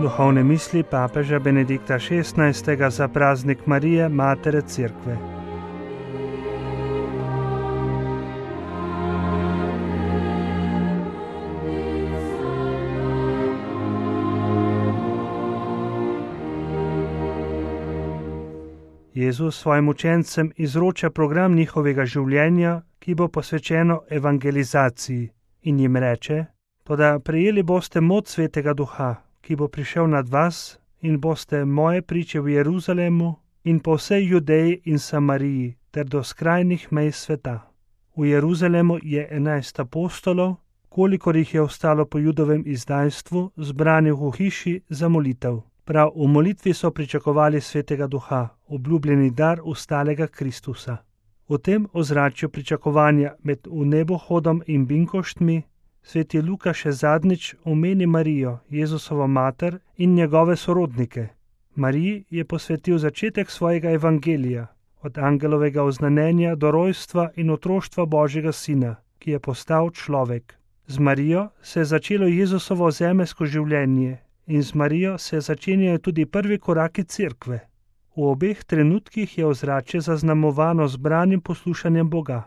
Duhovne misli papeža Benedikta XVI. Za praznik Marije, Matere Cerkve. Jezus svojim učencem izroča program njihovega življenja, ki bo posvečeno evangelizaciji, in jim reče: Toda prejeli boste moč Svetega Duha, ki bo prišel nad vas, in boste moje priče v Jeruzalemu in po vsej Judeji in Samariji ter do skrajnih mej sveta. V Jeruzalemu je 11 apostolov, kolikor jih je ostalo po Judovem izdajstvu, zbranih v hiši za molitev. Prav v molitvi so pričakovali Svetega Duha, obljubljeni dar ustalega Kristusa. V tem ozračju pričakovanja med vnebohodom in binkoštmi sveti Luka še zadnjič omeni Marijo, Jezusovo mater, in njegove sorodnike. Mariji je posvetil začetek svojega evangelija, od angelovega oznanjenja do rojstva in otroštva Božjega sina, ki je postal človek. Z Marijo se je začelo Jezusovo zemeljsko življenje in z Marijo se začenjajo tudi prvi koraki Cerkve. V obeh trenutkih je ozračje zaznamovano z branim poslušanjem Boga.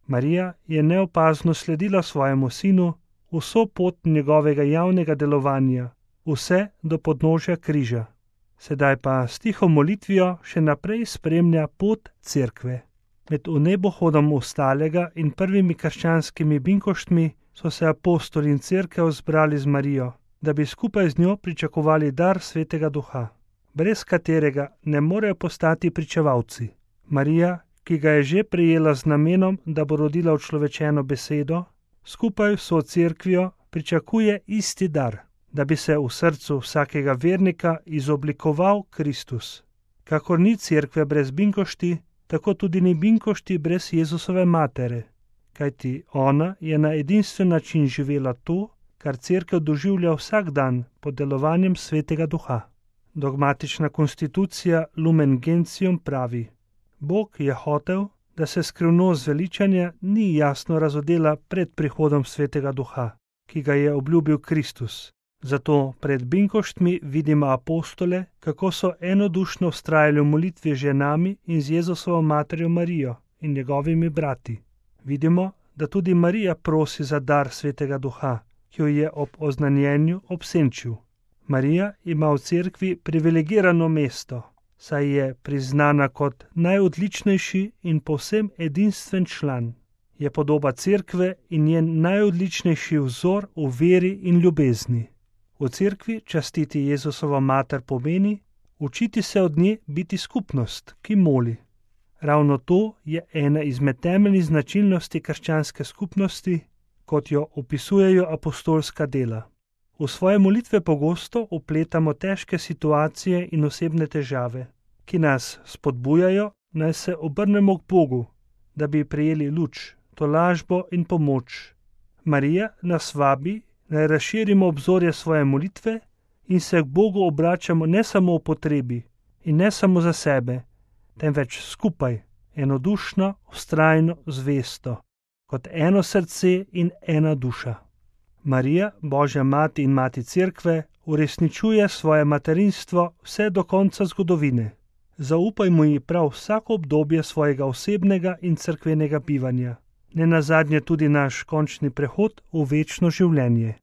Marija je neopazno sledila svojemu sinu vso pot njegovega javnega delovanja, vse do podnožja križa. Sedaj pa s tiho molitvijo še naprej spremlja pot Cerkve. Med vnebohodom ustalega in prvimi krščanskimi binkoštmi so se apostoli in Cerkev zbrali z Marijo, da bi skupaj z njo pričakovali dar Svetega Duha, brez katerega ne morejo postati pričevalci. Marija, ki ga je že prejela z namenom, da bo rodila učlovečeno besedo, skupaj s Cerkvijo pričakuje isti dar, da bi se v srcu vsakega vernika izoblikoval Kristus. Kakor ni Cerkve brez binkošti, tako tudi ni binkošti brez Jezusove matere, kajti ona je na edinstven način živela to, kar Cerkev doživlja vsak dan pod delovanjem Svetega Duha. Dogmatična konstitucija Lumen Gentium pravi: Bog je hotel, da se skrivnost zveličanja ni jasno razodela pred prihodom Svetega Duha, ki ga je obljubil Kristus. Zato pred binkoštmi vidimo apostole, kako so enodušno vztrajali v molitvi z ženami in z Jezusovo materjo Marijo in njegovimi brati. Vidimo, da tudi Marija prosi za dar Svetega Duha, ki jo je ob oznanjenju obsenčil. Marija ima v Cerkvi privilegirano mesto, saj je priznana kot najodličnejši in povsem edinstven član. Je podoba Cerkve in njen najodličnejši vzor v veri in ljubezni. V Cerkvi častiti Jezusovo mater pomeni učiti se od nje biti skupnost, ki moli. Ravno to je ena izmed temeljnih značilnosti krščanske skupnosti, kot jo opisujejo apostolska dela. V svoje molitve pogosto vpletamo težke situacije in osebne težave, ki nas spodbujajo, naj se obrnemo k Bogu, da bi prejeli luč, tolažbo in pomoč. Marija nas vabi, naj razširimo obzorje svoje molitve in se k Bogu obračamo ne samo v potrebi in ne samo za sebe, temveč skupaj, enodušno, vztrajno, zvesto, kot eno srce in ena duša. Marija, Božja mati in mati Cerkve, uresničuje svoje materinstvo vse do konca zgodovine. Zaupajmo ji prav vsako obdobje svojega osebnega in cerkvenega bivanja, nenazadnje tudi naš končni prehod v večno življenje.